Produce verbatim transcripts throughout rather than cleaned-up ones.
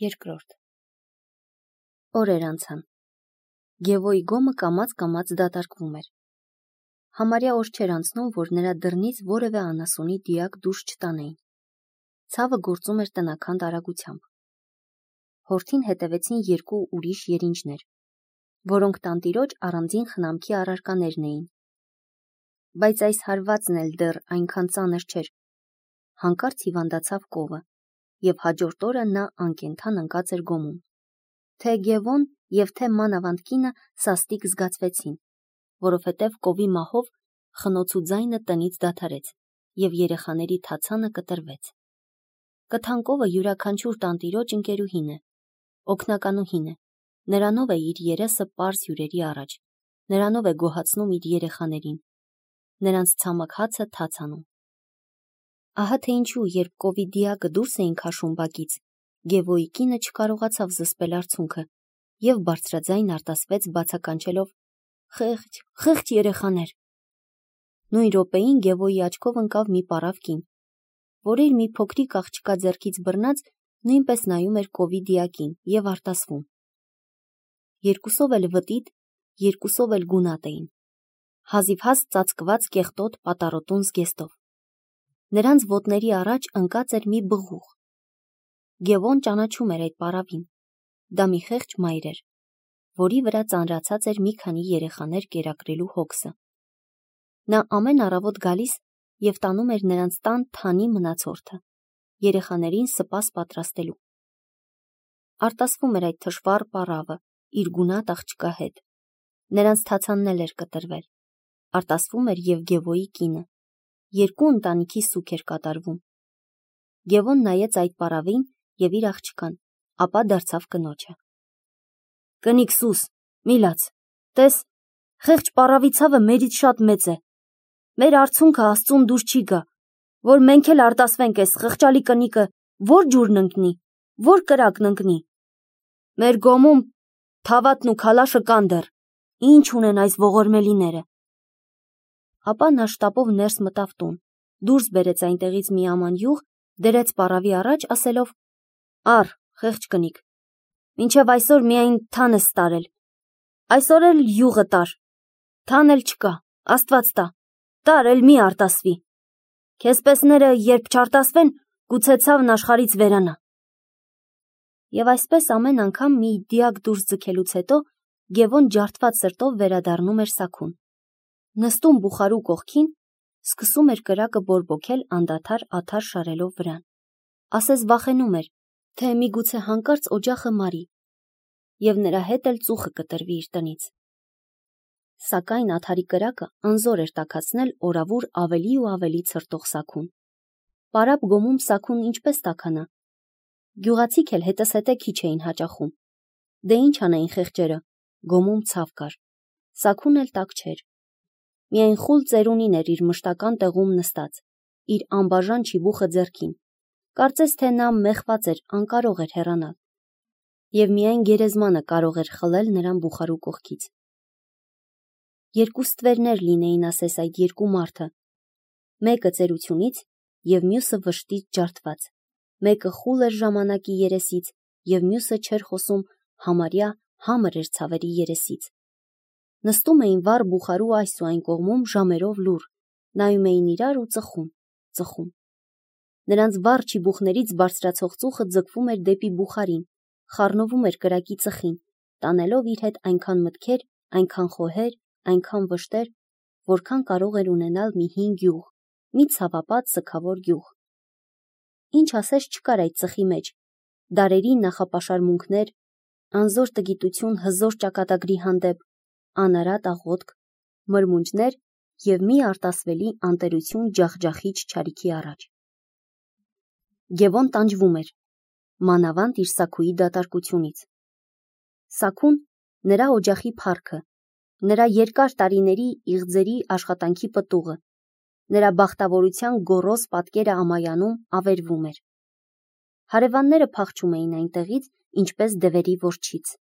Երկրորդ օրեր անցան։ Գևոյի գոմը կամաց-կամաց դատարկվում էր։ Համարյա օր չէր անցնում, որ նրա դռնից որևէ անասունի դիակ դուրս չտանեին։ Ցավը գործում էր տնական արագությամբ։ Հորթին հետևեցին երկու ուրիշ երինջներ, որոնք տանտիրոջ առանձին խնամքի առարկաներն էին։ Բայց այս հարվածն էլ դեռ այնքան ծանր չէր։ Հանկարծ հիվանդացավ կովը, եւ հաջորդ օրը նա անկենդան ընկած էր գոմում։ Թե Գևոն եւ թե մանավանդ կինը սաստիկ զգացվեցին, որովհետև կովի մահով խնոցու ձայնը տնից դադարեց եւ երեխաների թացանը կտրվեց։ Կթանկովը յուրաքանչյուր տանտիրոջ ընկերուհին է, օգնականուհին է, նրանով է իր երեսը պարզ հյուրերի առաջ, նրանով է գոհացնում իր երեխաներին, նրանց ցամաք հացը թաց անում։ Ահա թե ինչու, երբ կովի դիակը դուրս էին քաշում բակից, Գևոյի կինը չկարողացավ զսպել արցունքը եւ բարձրաձայն արտասվեց բացականչելով. «Խեղճ, խեղճ երեխաներ»։ Նույն րոպեին Գևոյի աչքով ընկավ մի պարավ կին, որ իր մի փոքրիկ աղջկա ձեռքից բռնած նույնպես նայում էր կովի դիակին եւ արտասվում։ Երկուսով էլ վտիտ, երկուսով էլ գունատ էին, հազիվհազ ծածկված կեղտոտ պատառոտուն զգեստով։ Նրանց ոտների առաջ ընկած էր մի բղուղ։ Գևոն ճանաչում էր այդ պարավին։ Դա մի խեղճ մայր էր, որի վրա ծանրացած էր մի քանի երեխաներ կերակրելու հոգսը։ Նա ամեն առավոտ գալիս եւ տանում էր նրանց տան թանի մնացորդը, երեխաներին սպաս պատրաստելու։ Արտասվում էր այդ թշվառ պարավը իր գունատ աղջկա հետ։ Նրանց թացանն էլ էր կտրվել։ Արտասվում էր եւ Գևոյի կինը։ Երկու ընտանիքի սուկ էր կատարվում։ Գևոն նայեց այդ պարավին եւ իր աղջկան, ապա դարձավ կնոջը։ Կնիկ սուս, մի լաց, տես, խեղճ պարավի ցավը մերից շատ մեծ է։ Մեր արցունքը Աստծուն դուր չի գա, որ մենք էլ արտասվենք այս խղճալի կնիկը, որ ջուրն ընկնի, որ կրակն ընկնի։ Մեր գոմում թավատն ու քալաշը կան դեռ, ինչ ունեն այս ողորմելիները։ Ապա նա շտապով ներս մտավ տուն, դուրս բերեց այնտեղից մի աման յուղ, դրեց պարավի առաջ, ասելով. Առ, խեղճ կնիկ, մինչև այսօր միայն թան ես տարել, այսօր էլ յուղը տար, թան էլ չկա, Աստված տա, տար էլ մի արտասվի, քեզ պեսները երբ չարտասվեն, գուցե ցավն աշխարից վերանա։ Եվ այսպես ամեն անգամ մի դիակ դուրս ձգելուց հետո Գևոն ջարդված սրտով վերադառնում էր սաքուն, նստում բուխարու կողքին, սկսում էր կրակը բորբոքել անդադար աթար շարելով վրան, ասես վախենում էր, թե միգուցե հանկարծ օջախը մարի, եւ նրա հետ էլ ծուխը կտրվի իր տնից։ Սակայն աթարի կրակը անզոր էր տաքացնել օրավուր ավելի ու ավելի ցրտող սաքուն։ Պարապ գոմում սաքուն ինչպես տաքանա։ Գյուղացիք էլ հետզհետե քիչ էին հաճախում։ Դե ինչ անեին խեղճերը, գոմում ցավ կար, սաքուն էլ տաք չէր։ Միայն խուլ ծերունին էր իր մշտական տեղում նստած, իր անբաժան չիբուխը ձեռքին, կարծես թե նա մեղված էր, անկարող էր հեռանալ, եւ միայն գերեզմանը կարող էր խլել նրան բուխարու կողքից։ Երկու ստվերներ լինեին, ասես, այդ երկու մարդը, մեկը ծերությունից եւ մյուսը վշտից ջարդված, մեկը խուլ էր ժամանակի երեսից եւ մյուսը չէր խոսում, համարյա համր էր ցավերի երեսից։ Նստում էին վառ բուխարու այս ու այն կողմում ժամերով լուռ, նայում էին իրար ու ծխում, ծխում։ Նրանց վառ չիբուխներից բարձրացող ծուխը ձգվում էր դեպի բուխարին, խառնվում էր կրակի ծխին, տանելով իր հետ այնքան մտքեր, այնքան խոհեր, այնքան վշտեր, որքան կարող էր ունենալ մի հին գյուղ, մի ցավապատ սգավոր գյուղ։ Ինչ ասես չկար այդ ծխի մեջ, դարերի նախապաշարմունքներ, անզոր տգիտություն հզոր ճակատագրի հանդեպ, անարատ աղոթք, մրմունջներ եւ մի արտասվելի անտերություն ջախջախիչ չարիքի առաջ։ Գևոն տանջվում էր, մանավանդ իր սաքուի դատարկությունից։ Սաքուն նրա օջախի փառքը, նրա երկար տարիների իղձերի աշխատանքի պտուղը, նրա բախտավորության գոռոզ պատկերը ամայանում ավերվում էր։ Հարևանները փախչում էին այնտեղից, ինչպես դևերի որջից։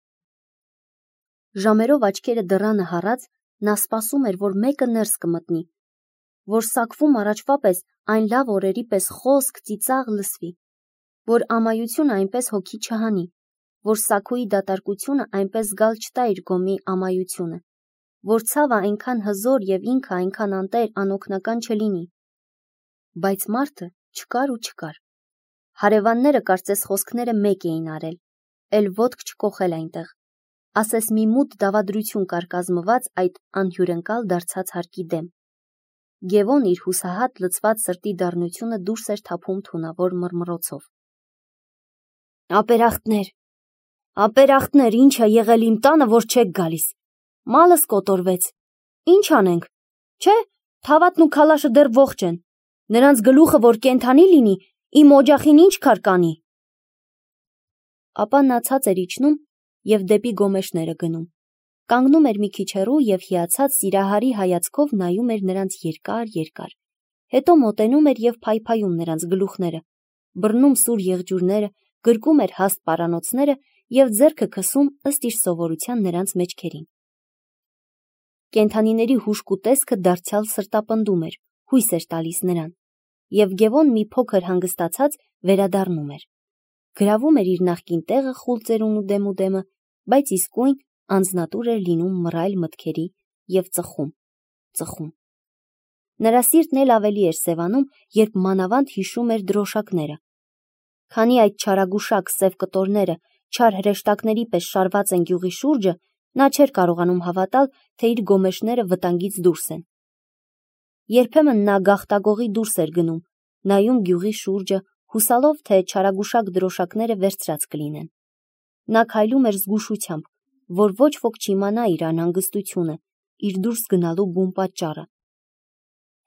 Ժամերով աչքերը դռանը հառած, նա սպասում էր, որ մեկը ներս կմտնի, որ սաքվում առաջվա պես այն լավ օրերի պես խոսք, ծիծաղ լսվի, որ ամայությունը այնպես հոգի չհանի, որ Սաքոյի դատարկությունը այնպես զգալ չտա իր գոմի ամայությունը, որ ցավը այնքան հզոր և ինքը այնքան անտեր անօգնական չլինի։ Բայց մարդը չկար ու չկար։ Հարևանները կարծես խոսքները մեկ էին արել, էլ ոտք չկոխել այնտեղ, ասես մի մութ դավադրություն կար կազմված այդ անհյուրընկալ դարձած հարկի դեմ։ Գևոն իր հուսահատ լցված սրտի դառնությունը դուրս էր թափում թունավոր մռմռոցով։ Ապերախտներ, ապերախտներ, ինչ է եղել իմ տանը, որ չեք գալիս։ Մալս կոտորվեց։ Ինչ անենք։ Չէ, թավատն ու քալաշը դեռ ողջ են։ Նրանց գլուխը որ կենթանի լինի, իմ օջախին ինչ քար կանի։ Ապա նա ցած էր իջնում և դեպի գոմեշները գնում։ Կանգնում էր մի քիչ հեռու և հիացած սիրահարի հայացքով նայում էր նրանց երկար-երկար, հետո մոտենում էր և փայփայում նրանց գլուխները, բռնում սուր եղջյուրները, գրկում էր հաստ պարանոցները և ձեռքը քսում ըստ իր սովորության նրանց մեջքերին։ Կենդանիների հուժկու տեսքը դարձյալ սրտապնդում էր, հույս էր տալիս նրան, և Գևոն մի փոքր հանգստացած վերադառնում էր։ Գրավում էր իր նախկին տեղը խուլ ծերունու դեմուդեմը, բայց իսկույն անձնատուր էր լինում մռայլ մտքերի և ծխում, ծխում։ Նրա սիրտն էլ ավելի էր սևանում, երբ մանավանդ հիշում էր դրոշակները։ Քանի այդ չարագուշակ սև կտորները չար հրեշտակների պես շարված են գյուղի շուրջը, նա չէր կարողանում հավատալ, թե իր գոմեշները վտանգից դուրս են։ Երբեմն նա գաղտագողի դուրս էր գնում, նայում գյուղի շուրջը, հուսալով, թե չարագուշակ դրոշակները վերցրած կլինեն։ Նա քայլում էր զգուշությամբ, որ ոչ ոք չիմանա իր անհանգստությունը, իր դուրս գնալու բուն պատճառը։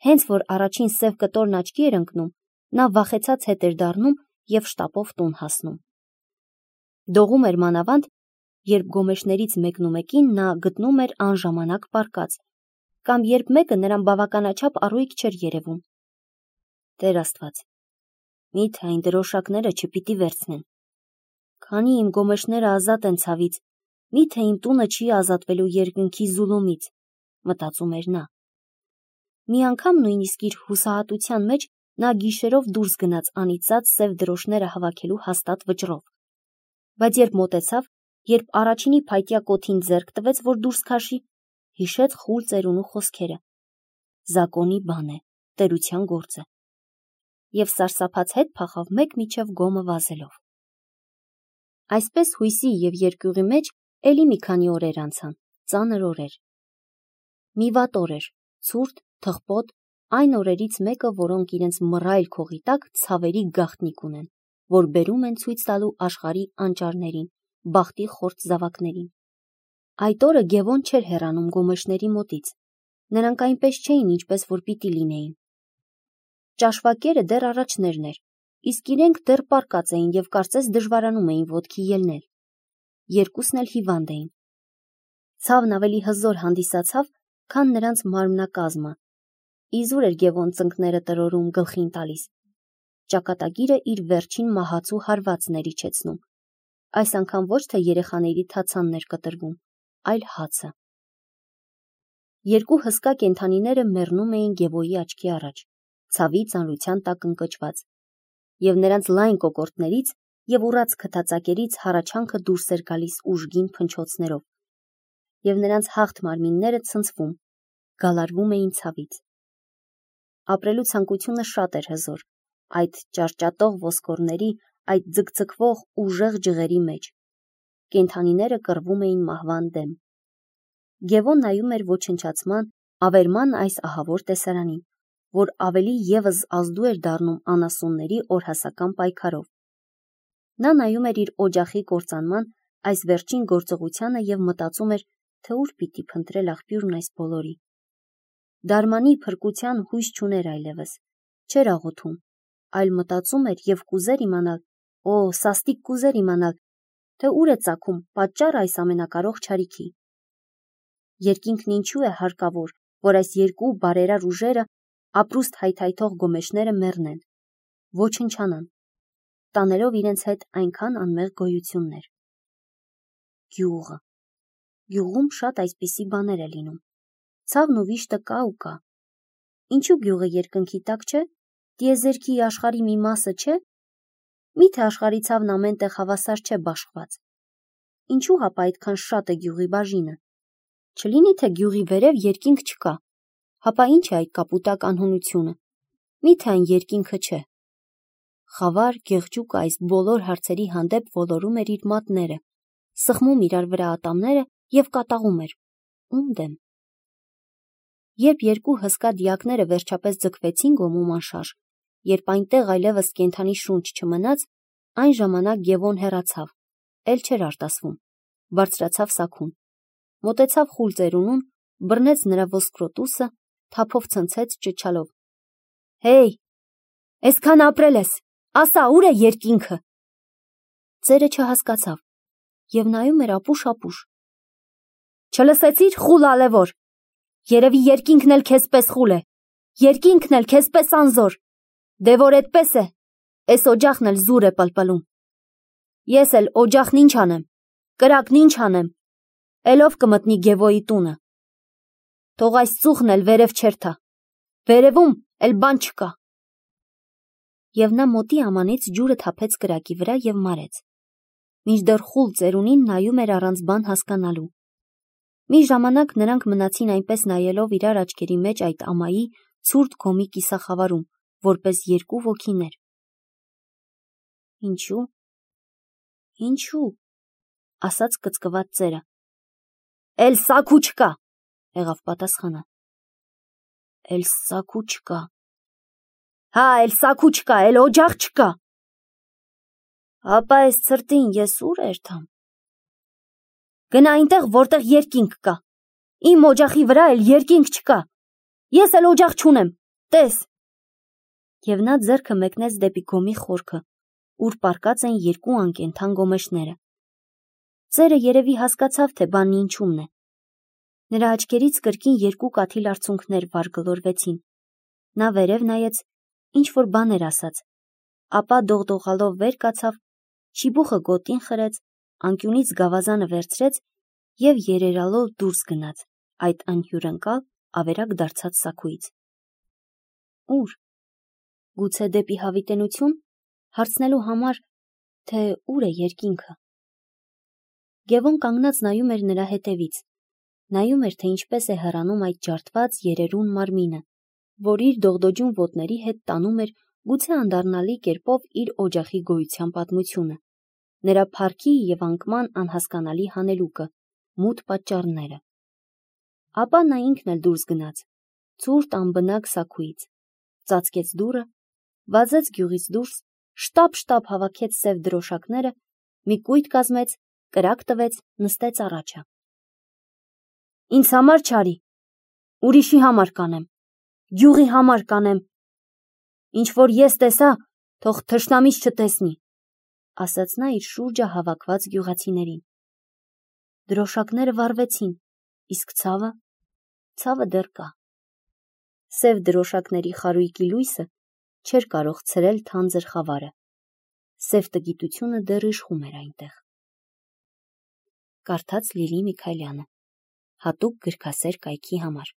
Հենց որ առաջին սև կտորն աչքի էր ընկնում, նա վախեցած հետ էր դառնում և շտապով տուն հասնում։ Դողում էր մանավանդ, երբ գոմեշներից մեկնումեկին նա գտնում էր անժամանակ պառկած, կամ երբ մեկը նրան բավականաչափ առույգ չէր երևում։ Տեր Աստված, միթե այն դրոշակները չպիտի վերցնեն։ Քանի իմ գոմեշները ազատ են ցավից, միթե իմ տունը չի ազատվելու երկնքի զուլումից, մտածում էր նա։ Մի անգամ նույնիսկ իր հուսահատության մեջ նա գիշերով դուրս գնաց անիծած սև դրոշները հավաքելու հաստատ վճռով։ Բայց երբ մոտեցավ, երբ առաջինի փայտյա կոթին ձեռք տվեց, որ դուրս քաշի, հիշեց խուլ ծերունու խոսքերը։ Զակոնի բան է, տերության գործ է։ Եվ սարսափած հետ փախավ մեկ միջև գոմը վազելով։ Այսպես հույսի և երկյուղի մեջ էլի մի քանի օրեր անցան, ծանր օրեր։ Մի վատ օր էր, ցուրտ, թխպոտ, այն օրերից մեկը, որոնք իրենց մռայլ քողի տակ ցավերի գաղտնիք ունեն, որ բերում են ցույց տալու աշխարհի անճարներին, բախտի խորտ զավակներին։ Այդ օրը Գևոն չէր հեռանում գոմեշների մոտից։ Նրանք այնպես չէին, ինչպես որ պիտի լինեին։ Ճաշվակերը դեռ առաջներն էր, իսկ իրենք դեռ պառկած էին և կարծես դժվարանում էին ոտքի ելնել։ Երկուսն էլ հիվանդ էին։ Ցավն ավելի հզոր հանդիսացավ, քան նրանց մարմնակազմը։ Իզուր էր Գևոն ծնկները տրորում, գլխին տալիս։ Ճակատագիրը իր վերջին մահացու հարվածն էր իջեցնում։ Այս անգամ ոչ թե երեխաների թացանն էր կտրվում, այլ հացը։ Երկու հսկա կենդանիները մեռնում էին Գևոյի աչքի առաջ, ցավի ծանրության տակ ընկճված, և նրանց լայն կոկորդներից և ուռած քթածակերից հառաչանքը դուրս էր գալիս ուժգին փնչոցներով, և նրանց հաղթ մարմինները ցնցվում, գալարվում էին ցավից։ Ապրելու ցանկությունը շատ էր հզոր, այդ ճարճատող ոսկորների, այդ ձգձգվող ուժեղ ջղերի մեջ։ Կենդանիները կռվում էին մահվան դեմ։ Գևոն նայում էր ոչնչացման, ավերման այս ահավոր տեսարանին, որ ավելի ևս ազդու էր դառնում անասունների օրհասական պայքարով։ Նա նայում էր իր օջախի կործանման այս վերջին գործողությանը և մտածում էր, թե ուր պիտի փնտրել աղբյուրն այս բոլորի։ Դարմանի փրկության հույս չուներ այլևս, չէր աղոթում, այլ մտածում էր և կուզեր իմանալ, օ, սաստիկ կուզեր իմանալ, թե ուր է ծագում պատճառը այս ամենակարող չարիքի։ Երկինքն ինչու է հարկավոր, որ այս երկու բարերար ուժերը, ապրուստ հայթայթող գոմեշները մեռնեն, ոչնչանան, տանելով իրենց հետ այնքան անմեղ գոյություններ։ Գյուղը։ Գյուղում շատ այսպիսի բաներ է լինում։ Ցավն ու վիշտը կա ու կա։ Ինչու գյուղը երկնքի տակ չէ, տիեզերքի աշխարհի մի մասը չէ։ Միթե աշխարհի ցավն ամեն տեղ հավասար չէ բաշխված։ Ինչու հապա այդքան շատ է գյուղի բաժինը։ Չլինի թե գյուղի վերև երկինք չկա, հապա ինչ է այդ կապուտակ անհունությունը։ Միթե այն երկինքը չէ։ Խավար գեղջուկը այս բոլոր հարցերի հանդեպ ոլորում էր իր մատները, սխմում իրար վրա ատամները և կատաղում էր։ Ում դեմ։ Երբ երկու հսկա դիակները վերջապես ձգվեցին գոմում անշարժ, երբ այնտեղ այլևս կենդանի շունչ չմնաց, այն ժամանակ Գևոն հեռացավ, էլ չէր արտասվում, բարձրացավ սաքուն, մոտեցավ խուլ ծերունուն, բռնեց նրա ոսկրոտուսը, թափով ցնցեց ճչալով. «Հեյ, այսքան ապրել ես, ասա, ուր է երկինքը»։ Ծերը չհասկացավ և նայում էր ապուշ-ապուշ։ «Չլսեցի՞ր, խուլ ալևոր, երևի երկինքն էլ քեզպես խուլ է, երկինքն էլ քեզպես անզոր, դե որ էդպես է, էս օջախն էլ զուր է պլպլում։ Ես էլ օջախն ինչ անեմ, կրակն ինչ անեմ, էլով կմտնի Գևոյի տունը։ Թող այս ծուխն էլ վերև չերթա, վերևում էլ բան չկա»։ Եվ նա մոտի ամանից ջուրը թափեց կրակի վրա և մարեց, մինչդեռ խուլ ծերունին նայում էր առանց բան հասկանալու։ Մի ժամանակ նրանք մնացին այնպես նայելով իրար աչքերի մեջ այդ ամայի ցուրտ գոմի կիսախավարում, որպես երկու ոգիներ։ Ինչու՞, ինչու՞, ասաց կծկված ծերը։ Էլ սաքու չկա, եղավ պատասխանը։ Էլ սաքու չկա։ Հա, էլ սաքու չկա, էլ օջախ չկա։ Ապա այս ցրտին ես ուր երթամ։ Գնա այնտեղ, որտեղ երկինք կա։ Իմ օջախի վրա էլ երկինք չկա։ Ես էլ օջախ չունեմ, տես։ Եվ նա ձեռքը մեկնեց դեպի գոմի խորքը, ուր պառկած են երկու անկենդան գոմեշները։ Ծերը երևի հասկացավ, թե բանն ինչումն է։ Նրա աչքերից կրկին երկու կաթիլ արցունքներ վար-գլորվեցին։ Նա վերև նայեց, ինչ-որ բան էր ասաց, ապա դողդողալով վեր կացավ, շիբուխը գոտին խրեց, անկյունից գավազանը վերցրեց և երերալով դուրս գնաց այդ անհյուրընկալ, ավերակ դարձած սաքուից։ Ուր։ Գուցե դեպի հավիտենություն, հարցնելու համար, թե ուր է երկինքը։ Գևոն կանգնած նայում էր նրա հետևից, նայում էր, թե ինչպես է հեռանում այդ ջարդված երերուն մարմինը, որ իր դողդոջուն ոտների հետ տանում էր գուցե անդառնալի կերպով իր օջախի գոյության պատմությունը, նրա փառքի և անկման անհասկանալի հանելուկը, մութ պատճառները։ Ապա նա ինքն էլ դուրս գնաց, ցուրտ անբնակ սաքուից, ծածկեց դուռը, վազեց գյուղից դուրս, շտապ-շտապ հավաքեց սև դրոշակները, մի կույտ կազմեց, կրակ տվեց, նստեց առաջը։ Ինձ համար չարի, ուրիշի համար կանեմ, գյուղի համար կանեմ, ինչ որ ես տեսա, թող թշնամիս չտեսնի, ասաց նա իր շուրջը հավաքված գյուղացիներին։ Դրոշակները վառվեցին, իսկ ցավը, ցավը դեռ կա։ Սև դրոշակների խարույկի լույսը չէր կարող ցրել թանձր խավարը։ Սև տգիտությունը դեռ իշխում էր այնտեղ։ Կարդաց Լիլի Միքայելյանը, հատուկ գրքասեր կայքի համար։